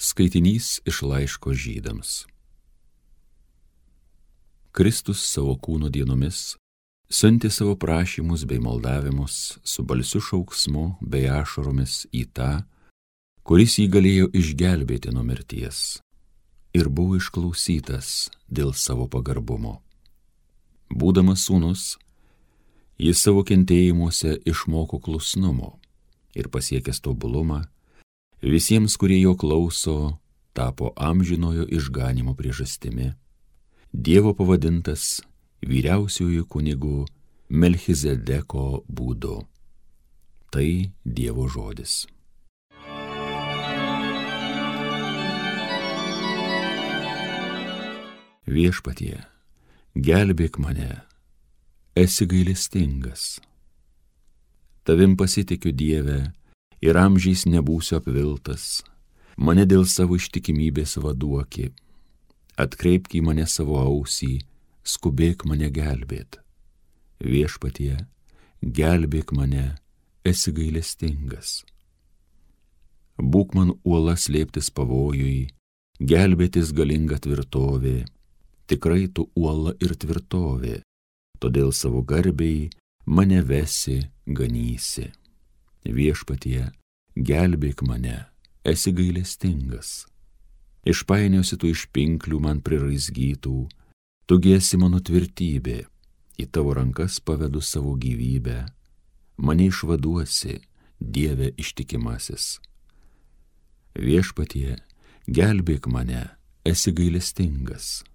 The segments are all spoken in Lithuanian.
Skaitinys iš laiško Žydams. Kristus savo kūno dienomis siuntė savo prašymus bei maldavimus su balsiu šauksmu bei ašaromis į tą, kuris jį galėjo išgelbėti nuo mirties, ir buvo išklausytas dėl savo pagarbumo. Būdamas sūnus, jis savo kentėjimuose išmoko klusnumo ir pasiekęs tobulumą, visiems, kurie jo klauso, tapo amžinojo išganymo priežastimi, Dievo pavadintas vyriausiuoju kunigu Melchizedeko būdu. Tai Dievo žodis. Viešpatie, gelbėk mane, esi gailestingas. Tavim pasitikiu, Dieve, ir amžiais nebūsiu apviltas, mane dėl savo ištikimybės vaduoki, atkreipk į mane savo ausį, skubėk mane gelbėt. Viešpatie, gelbėk mane, esi gailestingas. Būk man uola slėptis pavojui, gelbėtis galinga tvirtovė, tikrai tu uola ir tvirtovė, todėl savo garbei mane vesi, ganysi. Viešpatie, gelbėk mane, esi gailestingas. Išpainiosi tu iš pinklių man priraizgytų, tu esi mano tvirtybė, į tavo rankas pavedu savo gyvybę, mane išvaduosi, Dieve ištikimasis. Viešpatie, gelbėk mane, esi gailestingas.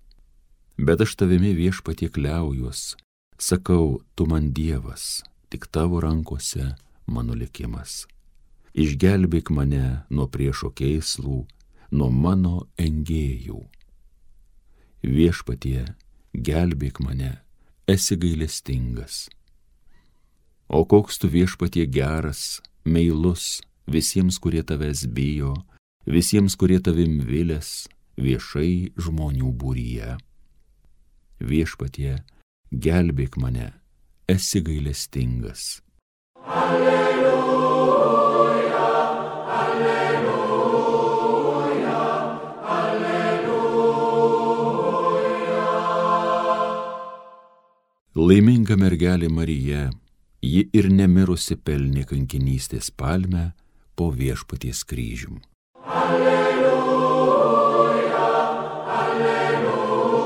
Bet aš tavimi, Viešpatie, kliaujuos, sakau, tu man Dievas, tik tavo rankose mano likimas. Išgelbėk mane nuo priešo kėslų, nuo mano engėjų. Viešpatie, gelbėk mane, esi gailestingas. O koks tu, Viešpatie, geras, meilus visiems, kurie tavęs bijo, visiems, kurie tavim vilės, viešai žmonių būryje. Viešpatie, gelbėk mane, esi gailestingas. Laiminga mergelė Marija, ji ir nemirusi pelnė kankinystės palmę po Viešpaties kryžium. Alleluja, alleluja,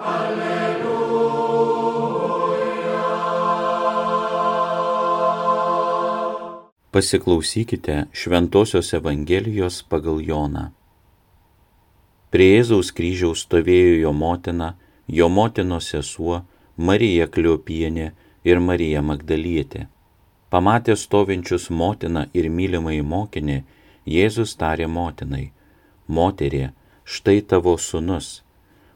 alleluja. Pasiklausykite Šventosios Evangelijos pagal Joną. Prie Jėzaus kryžiaus stovėjo jo motina, jo motinos sesuo, Marija Kliopienė ir Marija Magdalietė. Pamatęs stovinčius motiną ir mylimąjį mokinį, Jėzus tarė motinai: Moterie, štai tavo sūnus.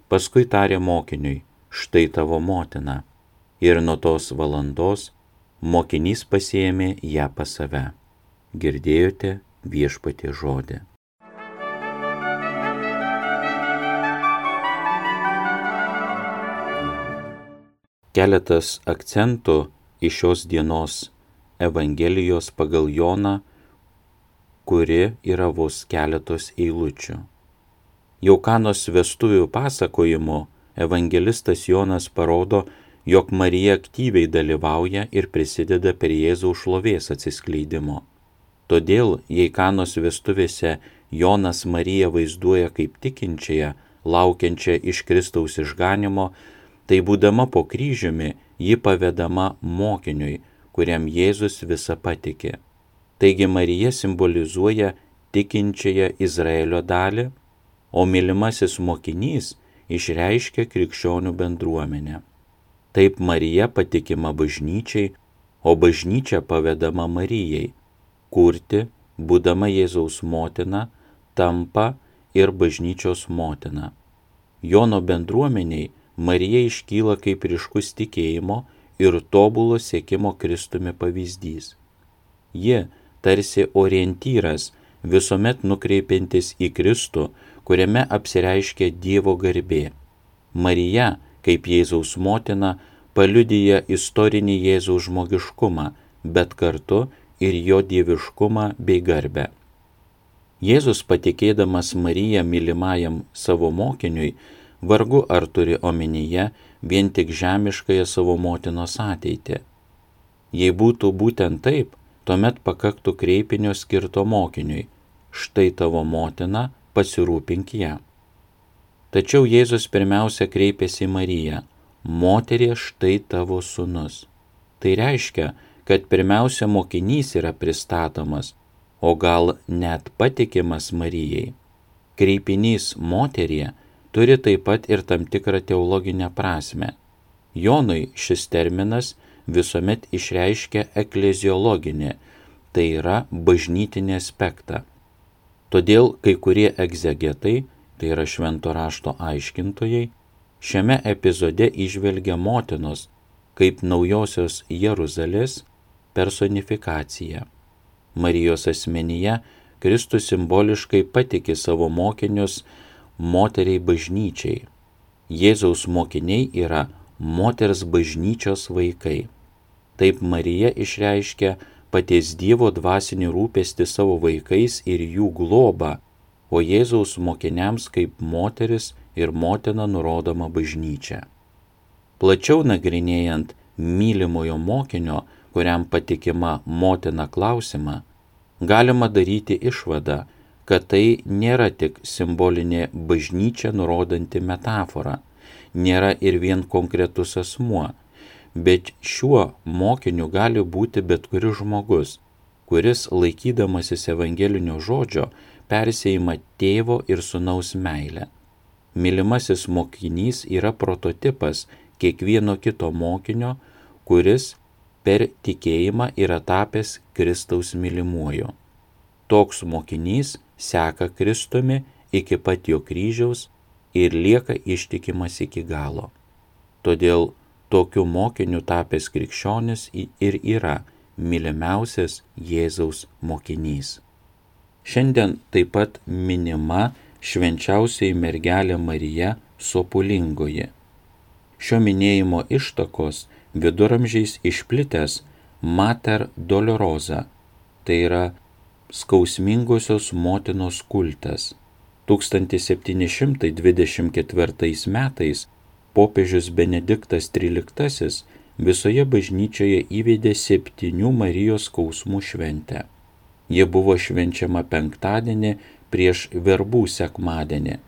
Paskui tarė mokiniui: Štai tavo motina. Ir nuo tos valandos mokinys pasiėmė ją pas save. Girdėjote Viešpaties žodį. Keletas akcentų iš šios dienos Evangelijos pagal Joną, kuri yra vos keletos eilučių. Jau Kanos vestuvių pasakojimu evangelistas Jonas parodo, jog Marija aktyviai dalyvauja ir prisideda prie Jėzaus šlovės atsiskleidimo. Todėl, jei Kanos vestuvėse Jonas Mariją vaizduoja kaip tikinčiąją, laukiančią iš Kristaus išganymo, tai būdama po kryžiumi, ji pavedama mokiniui, kuriam Jėzus visą patikė. Taigi Marija simbolizuoja tikinčiąją Izraelio dalį, o mylimasis mokinys išreiškia krikščionių bendruomenę. Taip Marija patikima bažnyčiai, o bažnyčia pavedama Marijai, kurti, būdama Jėzaus motina, tampa ir bažnyčios motina. Jono bendruomeniai Marija iškyla kaip ryškus tikėjimo ir tobulo siekimo Kristumi pavyzdys. Ji tarsi orientyras, visuomet nukreipiantis į Kristų, kuriame apsireiškia Dievo garbė. Marija, kaip Jėzaus motina, paliudija istorinį Jėzaus žmogiškumą, bet kartu ir jo dieviškumą bei garbę. Jėzus, patikėdamas Mariją mylimajam savo mokiniui, vargu ar turi omenyje vien tik žemiškąją savo motinos ateitį. Jei būtų būtent taip, tuomet pakaktų kreipinio skirto mokiniui: štai tavo motina, pasirūpink ją. Tačiau Jėzus pirmiausia kreipėsi į Mariją: moterie, štai tavo sūnus. Tai reiškia, kad pirmiausia mokinys yra pristatomas, o gal net patikimas Marijai. Kreipinys moterie turi taip pat ir tam tikrą teologinę prasmę. Jonui šis terminas visuomet išreiškia ekleziologinį, tai yra bažnytinį aspektą. Todėl kai kurie egzegetai, tai yra švento rašto aiškintojai, šiame epizode įžvelgia motinos kaip naujosios Jeruzalės personifikaciją. Marijos asmenyje Kristus simboliškai patiki savo mokinius moteriai bažnyčiai. Jėzaus mokiniai yra moters bažnyčios vaikai. Taip Marija išreiškia paties Dievo dvasinį rūpestį savo vaikais ir jų globą, o Jėzaus mokiniams kaip moteris ir motina nurodoma bažnyčia. Plačiau nagrinėjant mylimojo mokinio, kuriam patikima motina klausimą, galima daryti išvadą, kad tai nėra tik simbolinė bažnyčia nurodanti metafora, nėra ir vien konkretus asmuo, bet šiuo mokiniu gali būti bet kuris žmogus, kuris, laikydamasis evangelinio žodžio, persėjima tėvo ir sūnaus meilę. Mylimasis mokinys yra prototipas kiekvieno kito mokinio, kuris per tikėjimą yra tapęs Kristaus mylimuoju. Toks mokinys seka Kristumi iki pat jo kryžiaus ir lieka ištikimas iki galo. Todėl tokiu mokiniu tapęs krikščionis ir yra mylimiausias Jėzaus mokinys. Šiandien taip pat minima švenčiausioji mergelė Marija Sopulingoji. Šio minėjimo ištakos viduramžiais išplitęs Mater Dolorosa, tai yra skausmingosios motinos kultas. 1724 metais popiežius Benediktas XIII visoje bažnyčioje įvedė 7 Marijos skausmų šventę. Ji buvo švenčiama penktadienį prieš verbų sekmadienį.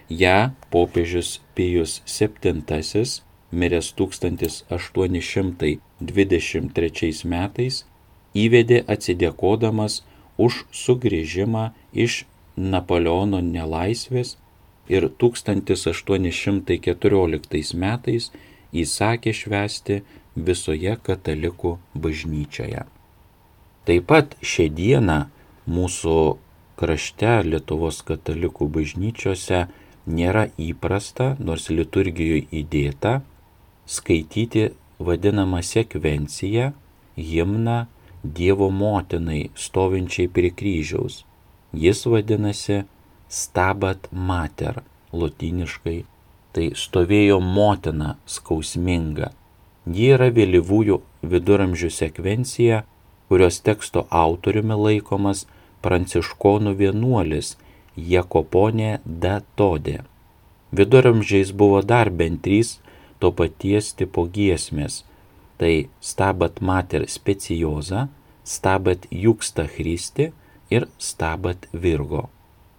Ja popiežius Pijus VII, miręs 1823 metais, įvedė atsidėkodamas už sugrįžimą iš Napoleono nelaisvės ir 1814 metais įsakė švęsti visoje katalikų bažnyčioje. Taip pat šią dieną mūsų krašte Lietuvos katalikų bažnyčiose nėra įprasta, nors liturgijoje įdėta, skaityti vadinamą sekvenciją, himną Dievo motinai stovinčiai prie kryžiaus. Jis vadinasi Stabat Mater, lotyniškai, tai stovėjo motina skausminga. Ji yra vėlyvųjų viduramžių sekvencija, kurios teksto autoriumi laikomas pranciškonų vienuolis Jakoponė da Todė. Viduramžiais buvo dar bent 3 to paties tipo giesmės, tai Stabat Mater Speciosa, Stabat Juxta Christi ir Stabat Virgo.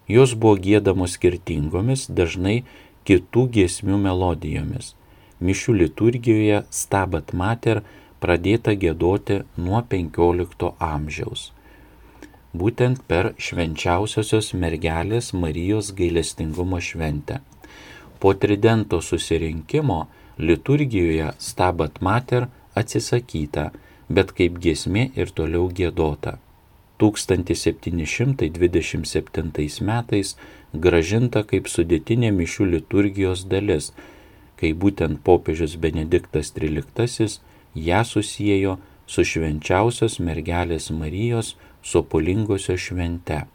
Jos buvo giedamos skirtingomis, dažnai kitų giesmių melodijomis. Mišių liturgijoje Stabat Mater pradėta giedoti nuo 15 amžiaus. Būtent per švenčiausiosios mergelės Marijos gailestingumo šventę. Po tridento susirinkimo liturgijoje Stabat Mater atsisakyta, bet kaip giesmė ir toliau giedota. 1727 metais grąžinta kaip sudėtinė mišių liturgijos dalis, kai būtent popiežius Benediktas XIII ją susiejo su švenčiausios mergelės Marijos Sopulingosios švente.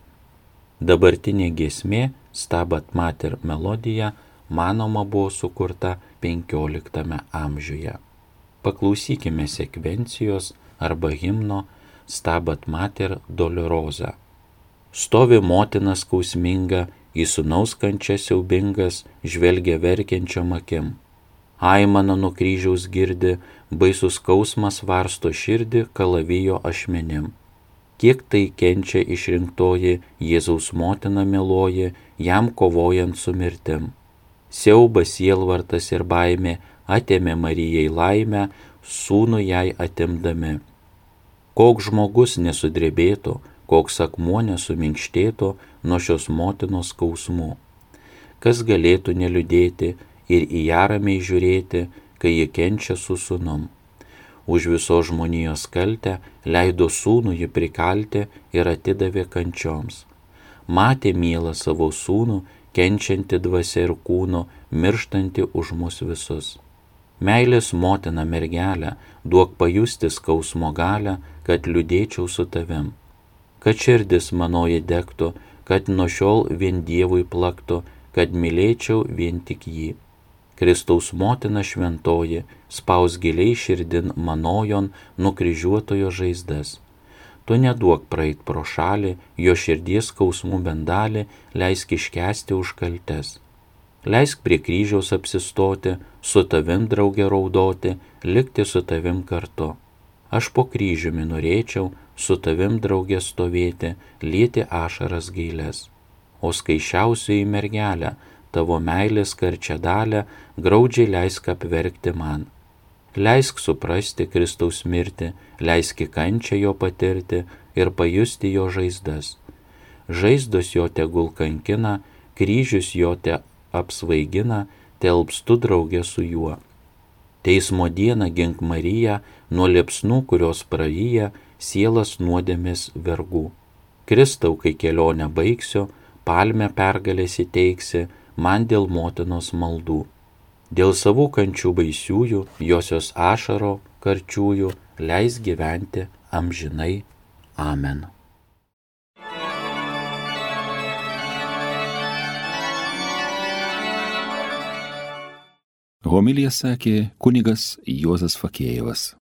Dabartinė giesmė Stabat Mater melodija manoma buvo sukurta 15 amžiuje. Paklausykime sekvencijos arba himno Stabat Mater Dolorosa. Stovi motina skausminga, į sūnaus kančią siaubingas, žvelgia verkiančiom akim. Aimana nuo kryžiaus girdi, baisus skausmas varsto širdį kalavijo ašmenim. Kiek tai kenčia išrinktoji, Jėzaus motina mieloji, jam kovojant su mirtim. Siaubas, sielvartas ir baimė atėmė Marijai laimę, sūnų jai atimdami. Koks žmogus nesudrebėtų, koks akmuo nesuminkštėtų nuo šios motinos skausmų. Kas galėtų neliūdėti ir į ją ramiai žiūrėti, kai ji kenčia su sūnum. Už visos žmonijos kaltę leido sūnų ji prikalti ir atidavė kančioms. Matė mielą savo sūnų, kenčianti dvasia ir kūnu, mirštanti už mus visus. Meilės motina mergelė, duok pajusti skausmo galę, kad liūdėčiau su tavim. Kad širdis manoji degtų, kad nuo šiol vien Dievui plaktų, kad mylėčiau vien tik jį. Kristaus motina šventoji, spaus giliai širdin manojon nukryžiuotojo žaizdas. Tu neduok praeit pro šalį, jo širdies skausmų bendalį, leisk iškęsti už kaltes. Leisk prie kryžiaus apsistoti, su tavim drauge raudoti, likti su tavim kartu. Aš po kryžiumi norėčiau su tavim drauge stovėti, lieti ašaras gailes. O skaičiausioji mergelė, tavo meilės karčią dalę, graudžiai leisk apverkti man. Leisk suprasti Kristaus mirtį, leisk į kančią jo patirti ir pajusti jo žaizdas. Žaizdos jo tegul kankina, kryžius jo te apsvaigina, telpstu drauge su juo. Teismo dieną gink Mariją nuo liepsnų, kurios praryja sielas nuodėmės vergų. Kristau, kai kelionę baigsiu, palmę pergalės įteiksi man dėl motinos maldų. Dėl savų kančių baisiųjų, josios ašaro karčiųjų, leis gyventi amžinai. Amen. Homiliją sakė kunigas Juozas Fakėjevas.